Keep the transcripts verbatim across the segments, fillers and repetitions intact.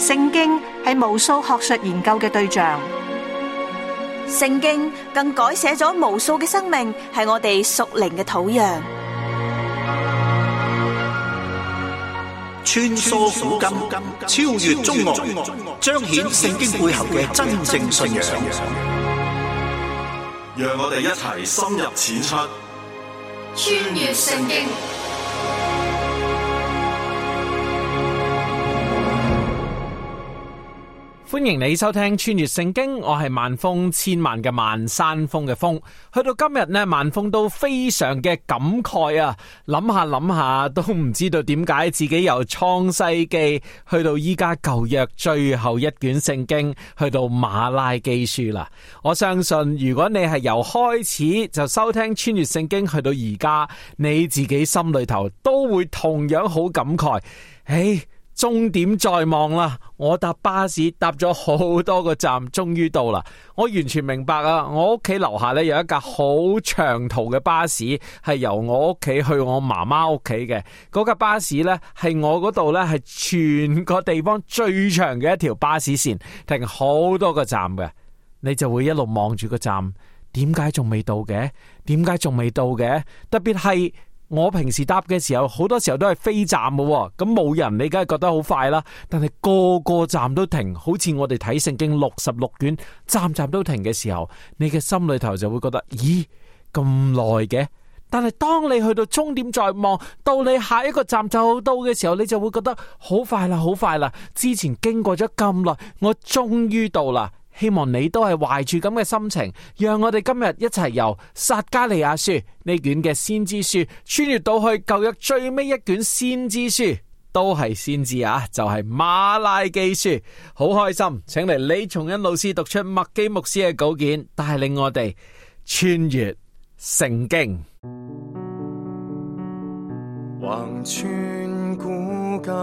聖經係無數學術研究嘅對象，聖經更改寫咗無數嘅生命，係我哋屬靈嘅土壤。穿梭古今，超越中外，彰顯聖經背後嘅真正信仰。讓我哋一齊深入淺出，穿越聖經。歡迎你收聽穿越聖經，我係萬峰，千萬嘅萬山峰嘅峰。去到今日呢，萬峰都非常嘅感慨啊！諗下諗下都唔知道點解自己由創世記去到依家舊約最後一卷聖經，去到馬拉基書啦。我相信如果你係由開始就收聽穿越聖經去到而家，你自己心裏頭都會同樣好感慨。誒，終點在望啦！我搭巴士搭咗好多個站，終於到啦。我完全明白啊！我屋企樓下咧有一架好長途嘅巴士，係由我屋企去我媽媽屋企嘅。嗰架巴士咧係我嗰度咧係全個地方最長嘅一條巴士線，停好多個站嘅。你就會一路望住個站，點解仲未到嘅？點解仲未到嘅？特別係我平時搭嘅時候，好多時候都係飛站嘅，咁冇人你梗係覺得好快啦。但係個個站都停，好似我哋睇聖經六十六卷，站站都停嘅時候，你嘅心裏頭就會覺得，咦，咁耐嘅？但係當你去到終點在望，到你下一個站就到嘅時候，你就會覺得好快啦，好快啦！之前經過咗咁耐，我終於到啦。希望你都係懷住咁嘅心情，讓我哋今日一齊由撒迦利亞書呢卷嘅先知書穿越到去舊約最尾一卷先知書，都係先知啊，就係、是、馬拉基書。好開心，請嚟李松恩老師讀出麥基牧師嘅稿件，帶領我哋穿越聖經。橫穿古今，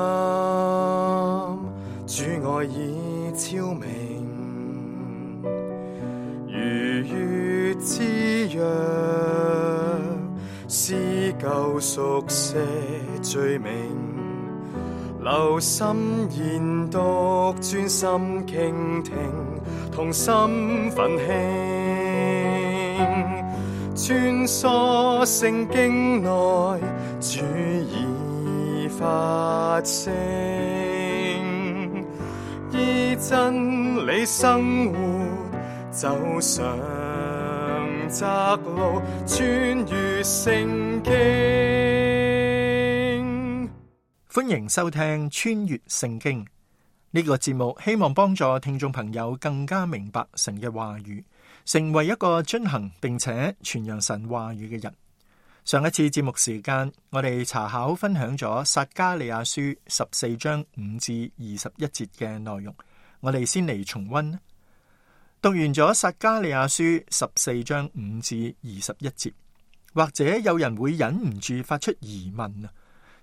主愛已昭明，如月之約，撕舊熟寫罪名，留心研讀，專心傾聽，同心奮興，穿梭聖經內，主已發聲，依真理生活，走上窄路，穿越聖經。歡迎收聽穿越聖經呢個節目，希望幫助聽眾朋友更加明白神嘅話語，成為一個遵行並且傳揚神話語嘅人。上一次節目時間，我哋查考分享咗撒迦利亞書十四章五至二十一節嘅內容，我哋先嚟重溫。讀完咗撒迦利亞書十四章五至二十一節，或者有人會忍唔住發出疑問啊！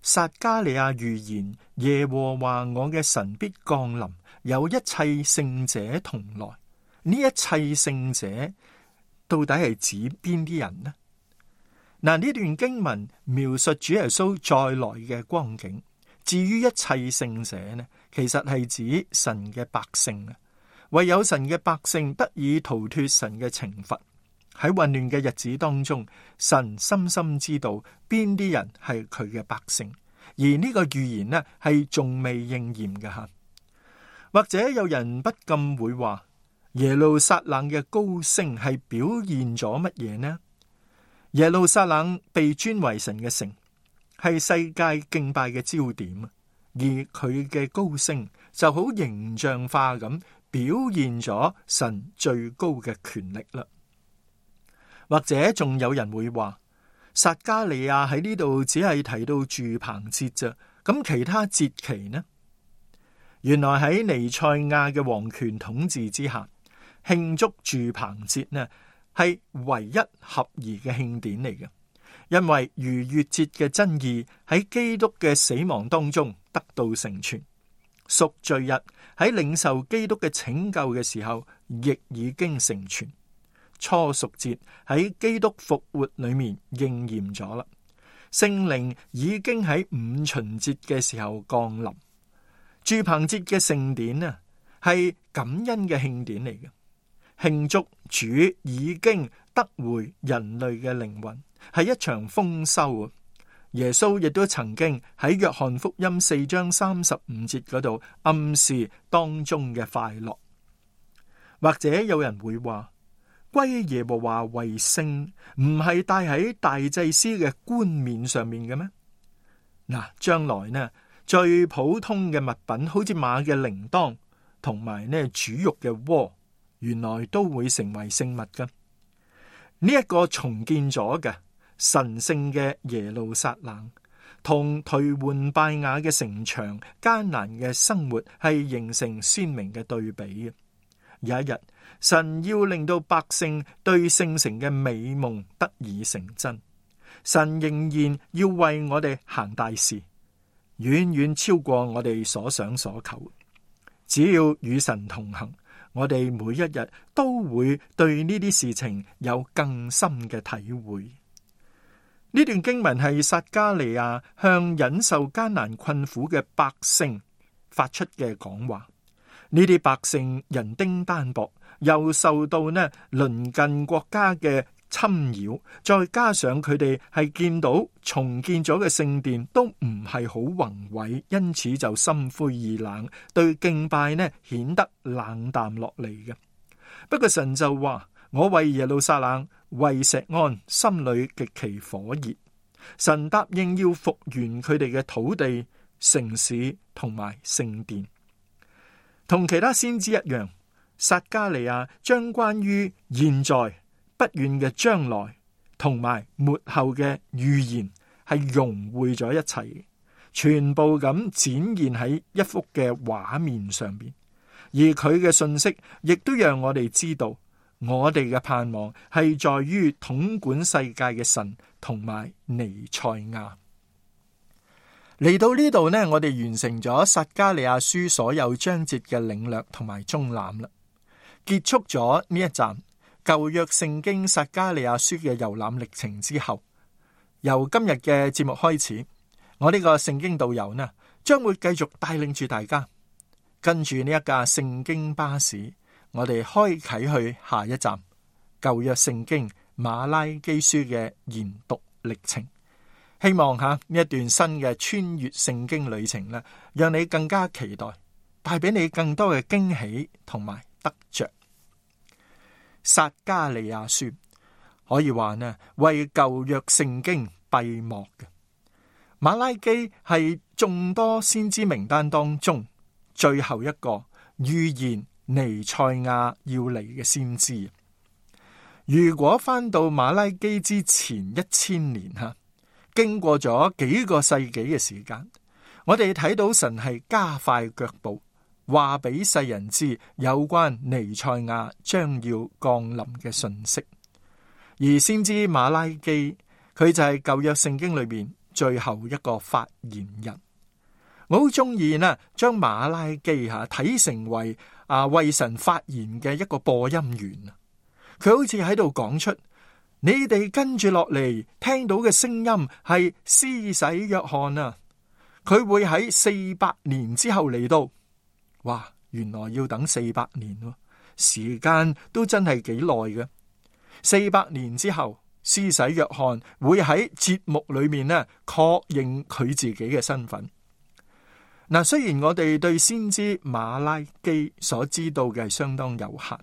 撒迦利亞預言耶和華我嘅神必降臨，有一切聖者同來。呢一切聖者到底係指邊啲人呢？嗱，呢段經文描述主耶穌再來嘅光景。至於一切聖者呢，其實係指神嘅百姓啊。唯有神嘅百姓得以逃脫神嘅懲罰。喺混亂嘅日子當中，神深深知道邊啲人係佢嘅百姓，而呢個預言呢係仲未應驗嘅吓。或者有人不禁會話，耶路撒冷嘅高升係表現咗乜嘢呢？耶路撒冷被尊為神嘅城，係世界敬拜嘅焦點，而佢嘅高升就好形象化咁表現咗神最高嘅權力啦。或者仲有人會話，撒迦利亞喺呢度只係提到住棚節啫，咁其他節期呢？原來喺彌賽亞嘅王權統治之下，慶祝住棚節呢係唯一合宜嘅慶典嚟嘅，因為逾越節嘅真義喺基督嘅死亡當中得到成全，贖罪日喺領受基督嘅拯救嘅時候亦已經成全。初贖節喺基督復活裏面應驗咗啦，聖靈已經喺五旬節嘅時候降臨，住棚節嘅盛典啊，係感恩嘅慶典嚟嘅，慶祝主已經得回人類嘅靈魂，係一場豐收啊！耶穌亦都曾經喺約翰福音四章三十五節嗰度暗示當中嘅快樂。或者有人會話，歸耶和華為聖唔係戴喺大祭司嘅冠冕上面嘅咩？嗱，將來呢最普通嘅物品，好似馬嘅鈴鐺同埋呢煮肉嘅鍋，原來都會成為聖物噶。呢一個重建咗嘅神聖嘅耶路撒冷，同頹垣敗瓦嘅城牆、艱難嘅生活係形成鮮明嘅對比嘅。有一日，神要令到百姓對聖城嘅美夢得以成真。神仍然要為我哋行大事，遠遠超過我哋所想所求。只要與神同行，我哋每一日都會對呢啲事情有更深嘅體會。呢段經文係撒迦利亞向忍受艱難困苦嘅百姓發出嘅講話。呢啲百姓人丁單薄，又受到呢鄰近國家嘅侵擾，再加上佢哋係見到重建咗嘅聖殿都唔係好宏偉，因此就心灰意冷，對敬拜呢顯得冷淡落嚟嘅。不過神就話：我為耶路撒冷、為錫安心裏極其火熱。神答應要復原佢哋嘅土地、城市同埋聖殿。同其他先知一樣，撒迦利亞將關於現在、不遠嘅將來同埋末後嘅預言係融匯咗一齊，全部咁展現喺一幅嘅畫面上邊。而佢嘅信息亦都讓我哋知道，我哋嘅盼望係在於統管世界嘅神同埋彌賽亞。嚟到呢度呢，我哋完成咗撒迦利亞書所有章節嘅領略同埋綜覽啦，結束咗呢一站舊約聖經撒迦利亞書嘅遊覽歷程之後，由今日嘅節目開始，我呢個聖經導遊呢將會繼續帶領住大家跟住呢一架聖經巴士，我哋開啟去下一站舊約聖經馬拉基書嘅研讀歷程。希望吓呢一段新嘅穿越聖經旅程呢，讓你更加期待，帶俾你更多嘅驚喜同埋得着。撒迦利亞書可以話呢，為舊約聖經閉幕嘅。馬拉基係眾多先知名單當中最後一個預言彌賽亞要嚟嘅先知。如果翻到馬拉基之前一千年吓，經過咗幾個世紀嘅時間，我哋睇到神係加快腳步，話俾世人知有關彌賽亞將要降臨嘅信息。而先知馬拉基，佢就係舊約聖經裏邊最後一個發言人。我好中意呢，將馬拉基吓睇成為啊為神發言嘅一個播音員。佢好似喺度講出，你哋跟住落嚟聽到嘅聲音係施洗約翰啊，佢會喺四百年之後嚟到。哇，原來要等四百年喎，時間都真係幾耐嘅。四百年之後，施洗約翰會喺節目裏面呢確認佢自己嘅身份。嗱，雖然我哋對先知馬拉基所知道嘅係相當有限，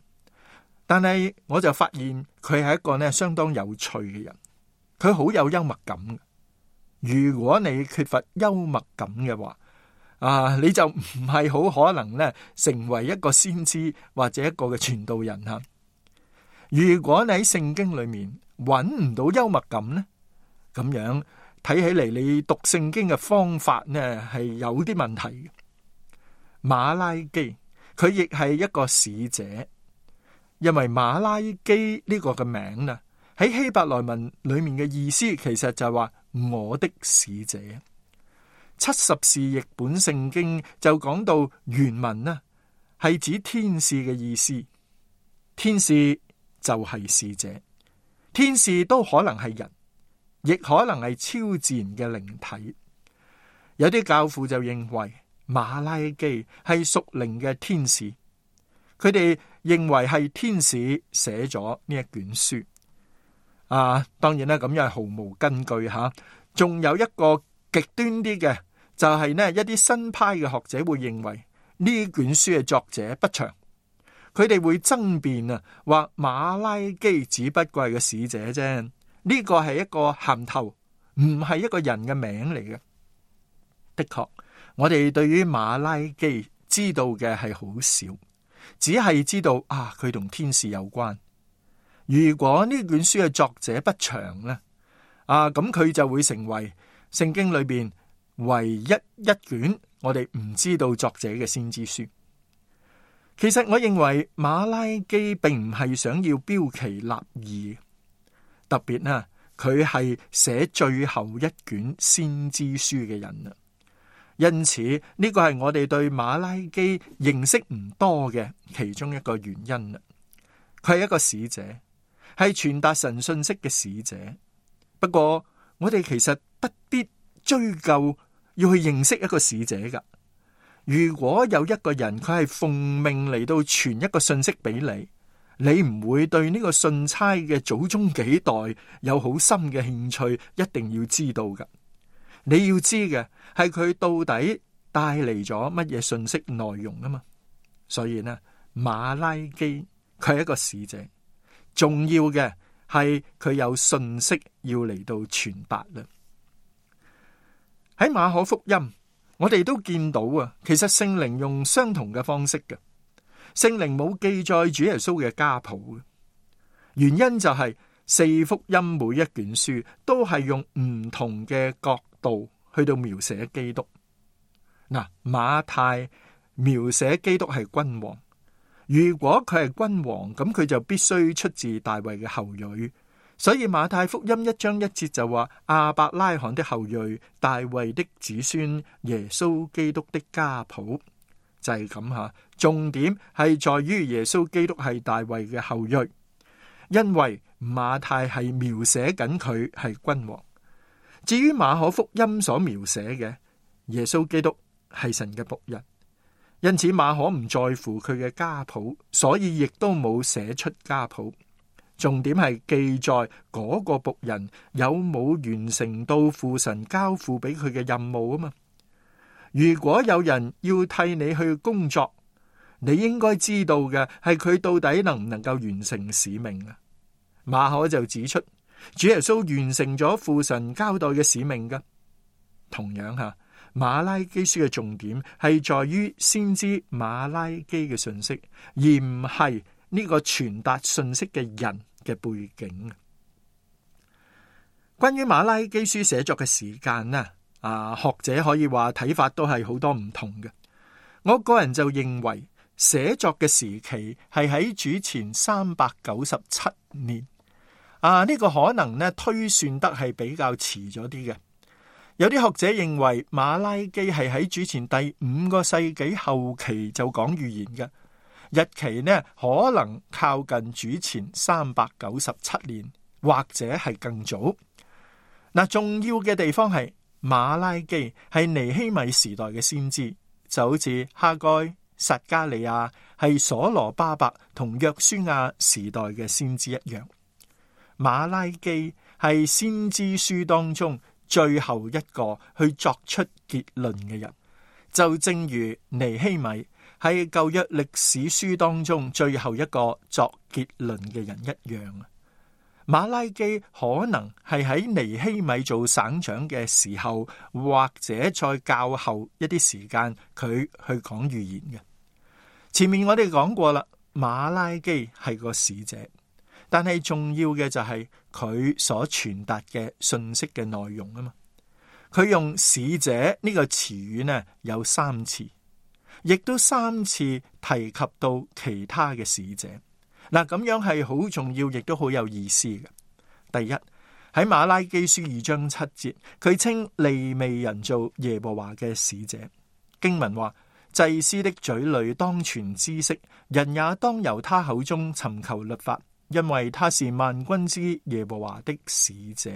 但係我就發現佢係一個呢相當有趣嘅人，佢好有幽默感。如果你缺乏幽默感嘅話，啊，你就唔係好可能呢成為一個先知或者一個嘅傳道人吓。如果你喺聖經裏面揾唔到幽默感呢，咁樣睇起嚟你讀聖經嘅方法呢係有啲問題嘅。馬拉基佢亦係一個使者。因為馬拉基呢個嘅名呢，喺希伯來文裏面嘅意思其實就係話我的使者。七十士譯本聖經就講到原文呢係指天使嘅意思，天使就係使者，天使都可能係人，亦可能係超自然嘅靈體。有啲教父就認為馬拉基係屬靈嘅天使，佢哋認為係天使寫咗呢一卷書。啊，當然啦，咁樣係毫無根據吓。仲有一個極端啲嘅，就係呢一啲新派嘅學者會認為呢卷書嘅作者不詳，佢哋會爭辯啊，話馬拉基只不過係個使者啫，呢個係一個銜頭，唔係一個人嘅名嚟嘅。的確，我哋對於馬拉基知道嘅係好少，只係知道啊，佢同天使有關。如果呢卷書嘅作者不詳呢，啊咁佢就會成為聖經裏邊唯一一卷我哋唔知道作者嘅先知書。其實我認為馬拉基並唔係想要標奇立異，特別呢，佢係寫最後一卷先知書嘅人啊。因此呢個係我哋對馬拉基認識唔多嘅其中一個原因啦。佢係一個使者，係傳達神信息嘅使者。不過我哋其實不必追究要去認識一個使者噶。如果有一個人佢係奉命嚟到傳一個信息俾你，你唔會對呢個信差嘅祖宗幾代有好深嘅興趣，一定要知道噶。你要知嘅係佢到底帶嚟咗乜嘢信息內容啊嘛。所以呢，馬拉基佢係一個使者，重要嘅係佢有信息要嚟到傳達啦。喺馬可福音，我哋都見到啊，其實聖靈用相同嘅方式嘅。聖靈冇記載主耶穌嘅家譜嘅原因就係四福音每一卷書都係用唔同嘅角度去到描寫基督。嗱，馬太描寫基督係君王，如果佢係君王，咁佢就必須出自大衛嘅後裔。所以馬太福音一章一節就話亞伯拉罕的後裔，大衛的子孫，耶穌基督的家譜，就係咁吓。重點係在於耶穌基督係大衛嘅後裔，因為馬太係描寫緊佢係君王。至於馬可福音所描寫嘅耶穌基督係神嘅僕人，因此馬可唔在乎佢嘅家譜，所以亦都冇寫出家譜。重點係記載嗰個僕人有冇完成到父神交付俾佢嘅任務啊嘛。如果有人要替你去工作，你應該知道嘅係佢到底能唔能夠完成使命啊。馬可就指出主耶穌完成咗父神交代嘅使命噶。同樣吓，馬拉基書嘅重點係在於先知馬拉基嘅信息，而唔係呢個傳達信息嘅人嘅背景。關於馬拉基書寫作嘅時間呢，啊，學者可以話睇法都係好多唔同嘅。我個人就認為寫作嘅時期係喺主前三百九十七年。啊，呢個可能呢推算得係比較遲咗啲嘅。有啲學者認為馬拉基係喺主前第五個世紀後期就講預言嘅。日期呢可能靠近主前三百九十七年，或者係更早。嗱，重要嘅地方係馬拉基係尼希米時代嘅先知，就好似哈該、撒加利亞係所羅巴伯同約書亞時代嘅先知一樣。馬拉基係先知書當中最後一個去作出結論嘅人，就正如尼希米係舊約歷史書當中最後一個作結論嘅人一樣。馬拉基可能係喺尼希米做省長嘅時候，或者再較後一啲時間，佢去講預言嘅。前面我哋講過啦，馬拉基係個使者，但係重要嘅就係佢所傳達嘅信息嘅內容啊嘛。佢用使者呢個詞語呢有三次，亦都三次提及到其他嘅使者。嗱，咁樣係好重要，亦都好有意思嘅。第一，喺馬拉基書二章七節，佢稱利未人做耶和華嘅使者。經文話，祭司的嘴裏當傳知識，人也當由他口中尋求律法，因為他是萬軍之耶和華的使者。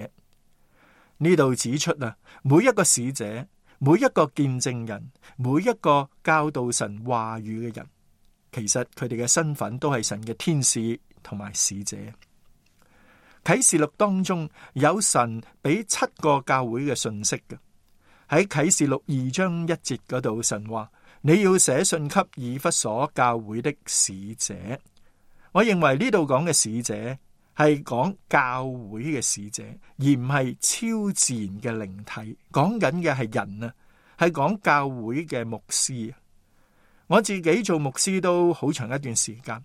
呢度指出啊，每一個使者，每一個見證人，每一個教導神話語嘅人，其實佢哋嘅身份都係神嘅天使同埋使者。啟示錄當中有神俾七個教會嘅信息嘅。喺啟示錄二章一節嗰度，神話你要寫信給以弗所教會的使者。我認為呢度講嘅使者係講教會嘅使者，而唔係超自然嘅靈體。講緊嘅係人啊，係講教會嘅牧師。我自己做牧師都好長一段時間，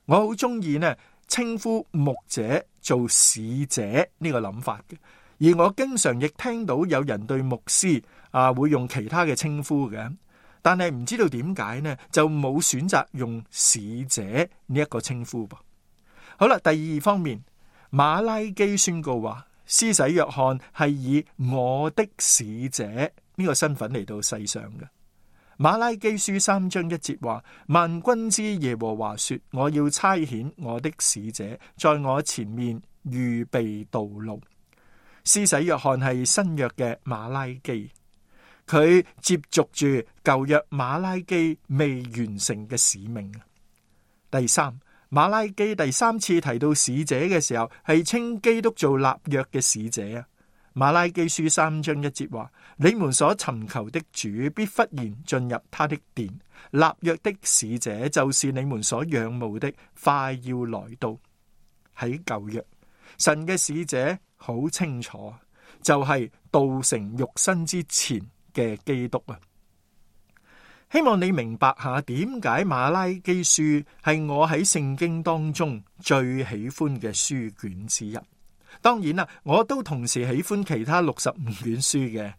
我好中意呢稱呼牧者做使者呢個諗法嘅。而我經常亦聽到有人對牧師啊會用其他嘅稱呼嘅，但係唔知道點解呢就冇選擇用使者呢一個稱呼噃。好啦，第二方面，馬拉基宣告話，施洗約翰係以我的使者呢個身份嚟到世上嘅。馬拉基書三章一節話，萬軍之耶和華說，我要差遣我的使者在我前面預備道路。施洗約翰係新約嘅馬拉基，佢接續住舊約馬拉基未完成嘅使命。第三，馬拉基第三次提到使者嘅時候，係稱基督做立約嘅使者啊。馬拉基書三章一節話，你們所尋求的主必忽然進入他的殿，立約的使者就是你們所仰慕的，快要來到。喺舊約，神嘅使者好清楚，就係道成肉身之前嘅基督啊！希望你明白下點解馬拉基書係我喺聖經當中最喜歡嘅書卷之一。當然啦，我都同時喜歡其他六十五卷書嘅。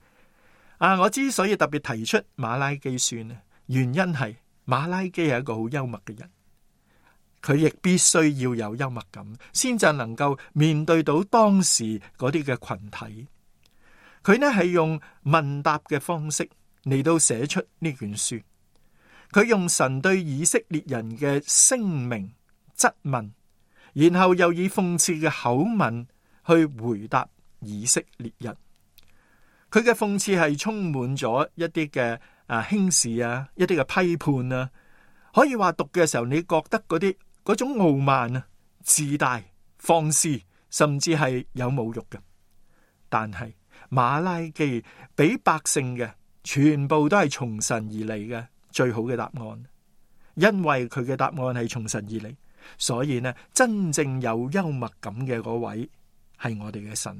啊，我之所以特別提出馬拉基書呢，原因係馬拉基係一個好幽默嘅人。佢亦必須要有幽默感，先至能夠面對到當時嗰啲嘅群體。佢呢係用問答嘅方式嚟到寫出呢卷書。佢用神對以色列人嘅聲明質問，然後又以諷刺嘅口吻去回答以色列人。佢嘅諷刺係充滿咗一啲嘅啊輕視啊，一啲嘅批判啊。可以話讀嘅時候，你覺得嗰啲嗰種傲慢啊、自大、放肆，甚至係有侮辱嘅。但係馬拉基俾百姓嘅全部都係從神而嚟嘅最好嘅答案，因為佢嘅答案係從神而嚟，所以呢，真正有幽默感嘅嗰位係我哋嘅神。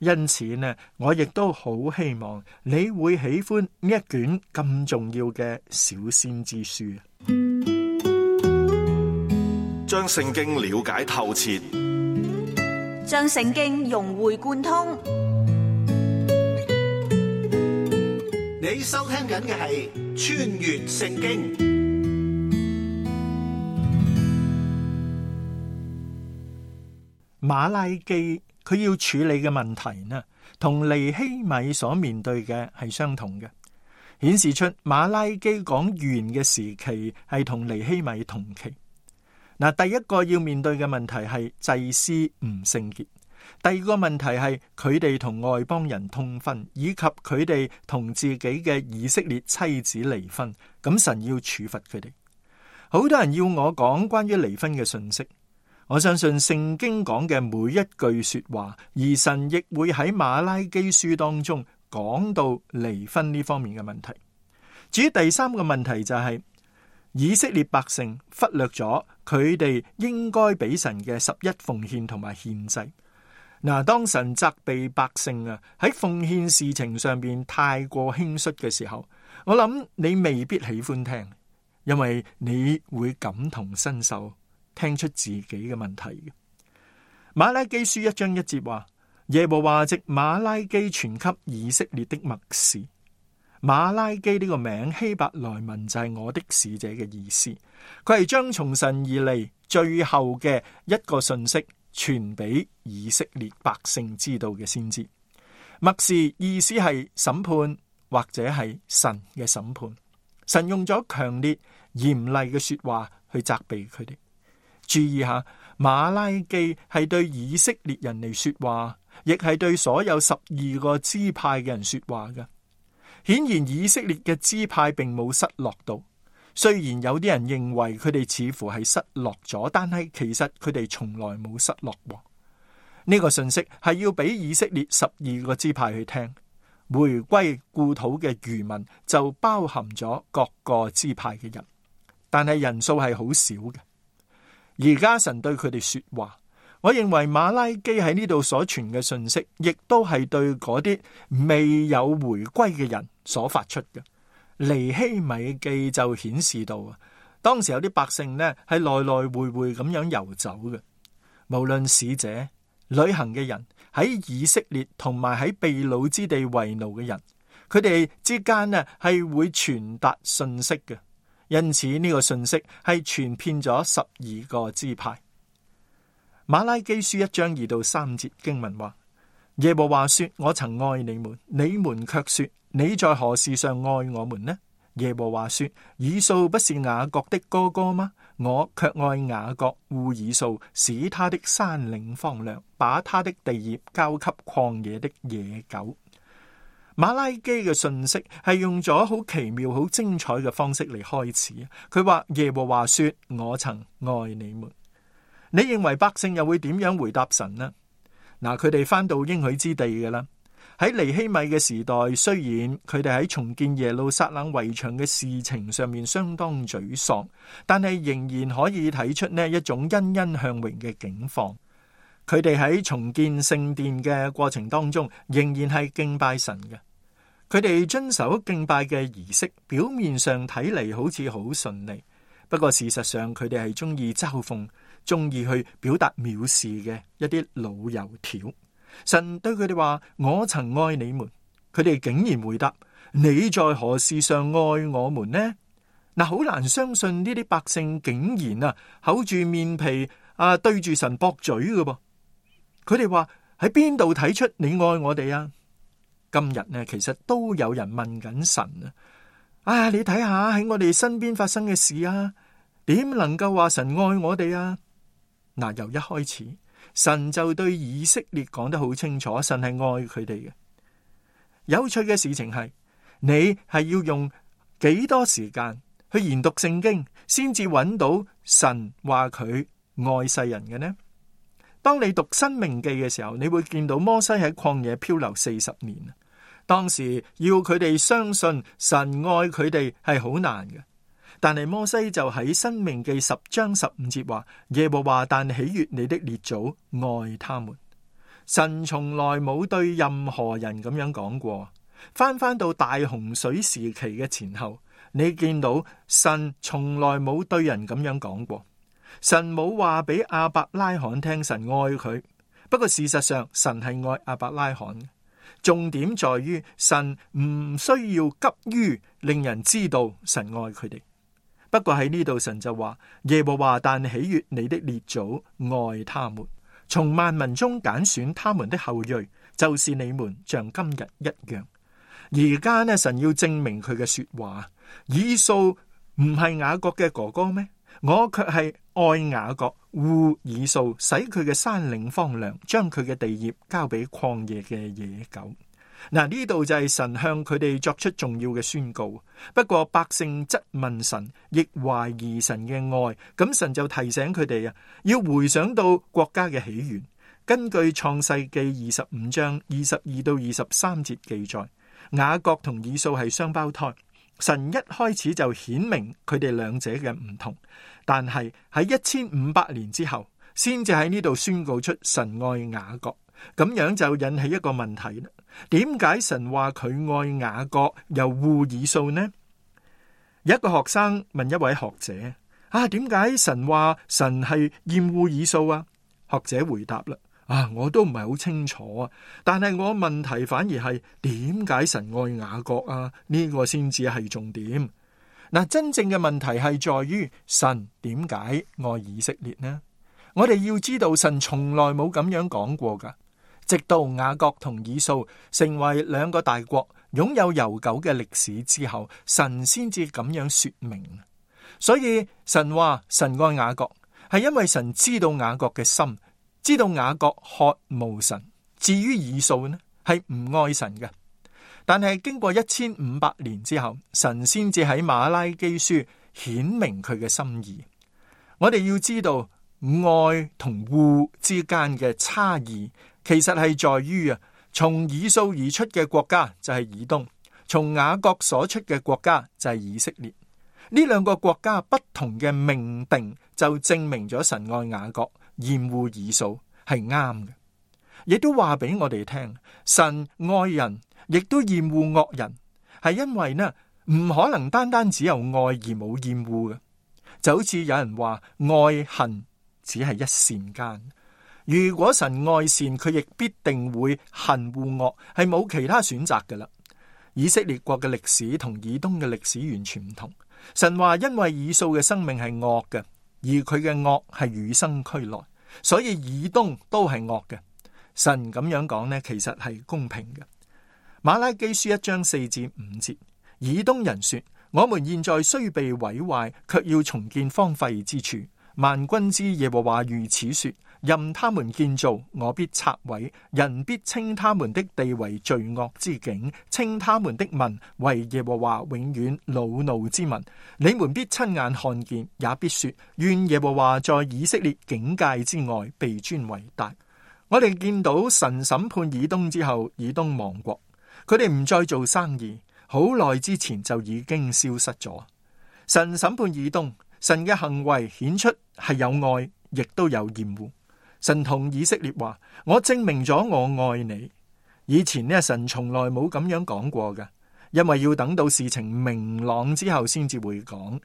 因此呢，我亦都好希望你會喜歡呢一卷咁重要嘅小先知書。將聖經了解透徹，將聖經融會貫通。你收聽緊嘅係穿越聖經。馬拉基佢要處理嘅問題呢，同尼希米所面對嘅係相同嘅，顯示出馬拉基講預言嘅時期係同尼希米同期。嗱，第一個要面對嘅問題係祭司唔聖潔，第二個問題係佢哋同外邦人通婚，以及佢哋同自己嘅以色列妻子離婚，咁神要處罰佢哋。好多人要我講關於離婚嘅信息，我相信聖經講嘅每一句說話，而神亦會喺馬拉基書當中講到離婚呢方面嘅問題。至於第三個問題就係、是、以色列百姓忽略咗佢哋應該俾神嘅十一奉獻同埋獻祭。嗱，當神責備百姓啊喺奉獻事情上邊太過輕率嘅時候，我諗你未必喜歡聽，因為你會感同身受，聽出自己嘅問題嘅。馬拉基書一章一節話，耶和華藉馬拉基傳給以色列的默示。馬拉基呢個名希伯來文就係我的使者嘅意思，佢係將從神而嚟最後嘅一個信息傳俾以色列百姓知道嘅先知。默示意思係審判或者係神嘅審判，神用咗強烈嚴厲嘅說話去責備佢哋。注意下，馬拉基係對以色列人嚟說話，亦係對所有十二個支派嘅人說話嘅。顯然以色列嘅支派並冇失落到，雖然有啲人認為佢哋似乎係失落咗，但係其實佢哋從來冇失落過。呢個信息係要俾以色列十二個支派去聽，回歸故土嘅餘民就包含咗各個支派嘅人，但係人數係好少嘅。而家神對佢哋說話，我認為馬拉基喺呢度所傳嘅信息，亦都係對嗰啲未有回歸嘅人所發出嘅。尼希米記就顯示到啊，當時有啲百姓呢係來來回回咁樣遊走嘅，無論使者、旅行嘅人，喺以色列同埋喺被擄之地為奴嘅人，佢哋之間呢係會傳達信息嘅，因此呢個信息係傳遍咗十二個支派。馬拉基書一章二到三節經文話：耶和華說，我曾愛你們，你們卻說，你在何事上愛我們呢？耶和華說，以掃不是雅各的哥哥嗎？我卻愛雅各惡以掃，使他的山嶺荒涼，把他的地業交給曠野的野狗。馬拉基嘅信息係用咗好奇妙、好精彩嘅方式嚟開始。佢話耶和華說，我曾愛你們。你認為百姓又會點樣回答神呢？嗱，佢哋翻到應許之地嘅啦。喺尼希米嘅時代，雖然佢哋喺重建耶路撒冷圍牆嘅事情上面相當沮喪，但係仍然可以睇出呢一種欣欣向榮嘅境況。佢哋喺重建聖殿嘅過程當中，仍然係敬拜神嘅。佢哋遵守敬拜嘅儀式，表面上睇嚟好似好順利，不過事實上佢哋係中意嘲諷，中意去表達藐視嘅一啲老油條。神對佢哋話：我曾愛你們，佢哋竟然回答：你在何事上愛我們呢？嗱，好難相信呢啲百姓竟然啊厚住面皮啊對住神駁嘴嘅噃。佢哋話：喺邊度睇出你愛我哋啊？今日呢，其實都有人問緊神啊！啊，你睇下喺我哋身邊發生嘅事啊，點能夠話神愛我哋啊？嗱，由一開始，神就對以色列講得好清楚，神係愛佢哋嘅。有趣嘅事情係，你係要用幾多時間去研讀聖經，先至揾到神話佢愛世人嘅呢？當你讀申命記嘅時候，你會見到摩西喺曠野漂流四十年，當時要佢哋相信神愛佢哋係好難嘅。但係摩西就喺申命記十章十五節話：耶和華但喜悅你的列祖，愛他們。神從來冇對任何人咁樣講過。翻翻到大洪水時期嘅前後，你見到神從來冇對人咁樣講過。神冇話俾亞伯拉罕聽神愛佢，不過事實上神係愛亞伯拉罕。重點在於神唔需要急於令人知道神愛佢哋。不過喺呢度神就話：耶和華但喜悅你的列祖，愛他們，從萬民中揀選他們的後裔，就是你們，像今日一樣。而家呢，神要證明佢嘅說話，以掃唔係雅各嘅哥哥咩？我卻係愛雅各，惡以掃，使佢嘅山嶺荒涼，將佢嘅地業交俾曠野嘅野狗。嗱，呢度就係神向佢哋作出重要嘅宣告。不過百姓質問神，亦懷疑神嘅愛，咁神就提醒佢哋啊，要回想到國家嘅起源。根據創世記二十五章二十二到二十三節記載，雅各同以掃係雙胞胎。神一開始就顯明佢哋兩者嘅唔同，但係喺一千五百年之後，先至喺呢度宣告出神愛雅各。咁樣就引起一個問題啦。點解神話佢愛雅各又惡以掃呢？有一個學生問一位學者：啊，點解神話神係厭惡以掃啊？學者回答啦：啊，我都唔係好清楚啊。但係我問題反而係點解神愛雅各啊？呢個先至係重點。嗱，真正嘅問題係在於神點解愛以色列呢？我哋要知道神從來冇咁樣講過噶。直到雅各同以掃成為兩個大國，擁有悠久嘅歷史之後，神先至咁樣說明。所以神話神愛雅各，係因為神知道雅各嘅心，知道雅各渴慕神。至於以掃呢，係唔愛神嘅。但係經過一千五百年之後，神先至喺馬拉基書顯明佢嘅心意。我哋要知道愛同惡之間嘅差異，其實係在於啊，從以掃而出嘅國家就係以東，從雅各所出嘅國家就係以色列。呢兩個國家不同嘅命定，就證明咗神愛雅各，厭惡以掃係啱嘅。亦都話俾我哋聽，神愛人，亦都厭惡惡人，係因為呢唔可能單單只有愛而冇厭惡嘅。就好似有人話愛恨只係一線間，如果神愛善，佢亦必定會恨惡惡，係冇其他選擇噶啦。以色列國嘅歷史同以東嘅歷史完全唔同。神話因為以掃嘅生命係惡嘅，而佢嘅惡係與生俱來，所以以東都係惡嘅。神咁樣講呢，其實係公平嘅。馬拉基書一章四至五節，以東人說：我們現在雖被毀壞，卻要重建荒廢之處。萬軍之耶和華如此說：任他們建造，我必拆毀；人必稱他們的地為罪惡之境，稱他們的民為耶和華永遠惱怒之民。你們必親眼看見，也必說：願耶和華在以色列境界之外被尊為大。我哋見到神審判以東之後，以東亡國，佢哋唔再做生意，好耐之前就已經消失咗。神審判以東，神嘅行為顯出係有愛，亦都有厭惡。神同以色列話：我證明咗我愛你。以前呢，神從來冇咁樣講過嘅，因為要等到事情明朗之後先至會講。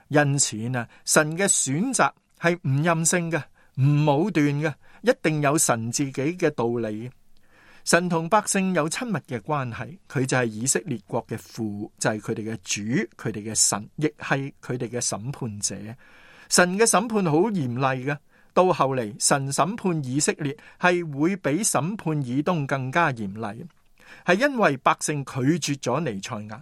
因此啊，神嘅選擇係唔任性嘅，唔武斷嘅，一定有神自己嘅道理。神同百姓有親密嘅關係，佢就係以色列國嘅父，就係佢哋嘅主，佢哋嘅神，亦係佢哋嘅審判者。神嘅審判好嚴厲嘅，到後嚟神審判以色列係會比審判以東更加嚴厲，係因為百姓拒絕咗彌賽亞。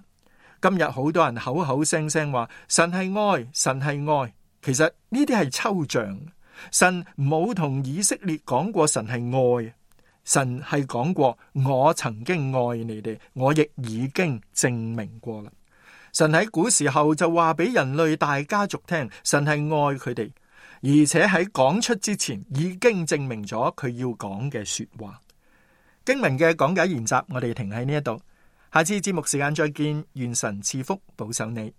今日好多人口口聲聲話神係愛，神係愛，其實呢啲係抽象。神冇同以色列講過神係愛，神係講過我曾經愛你哋，我亦已經證明過啦。神喺古時候就話俾人類大家族聽，神係愛佢哋，而且喺講出之前已經證明咗佢要講嘅說話。經文嘅講解研習，我哋停喺呢一度，下次節目時間再見，願神賜福保守你。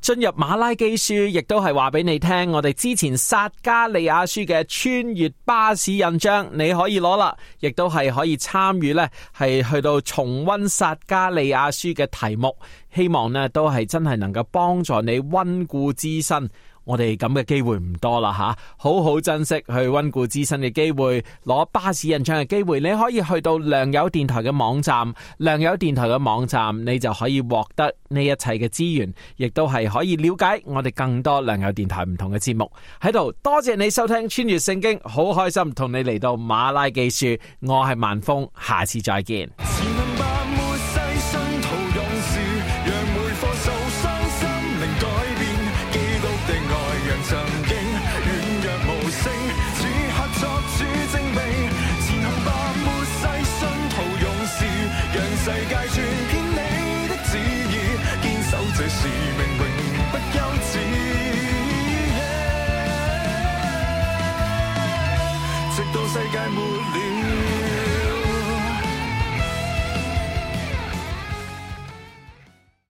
進入馬拉基書，亦都係話俾你聽，我哋之前撒迦利亞書嘅穿越巴士印章，你可以攞啦，亦都係可以參與呢，係去到重溫撒迦利亞書嘅題目，希望呢都係真係能夠幫助你溫故知新。我哋咁嘅機會唔多啦吓，好好珍惜去溫故知新嘅機會，攞巴士印章嘅機會，你可以去到良友電台嘅網站，良友電台嘅網站，你就可以獲得呢一切嘅資源，亦都係可以了解我哋更多良友電台唔同嘅節目。喺度多謝你收聽穿越聖經，好開心同你嚟到馬拉基書，我係萬峰，下次再見。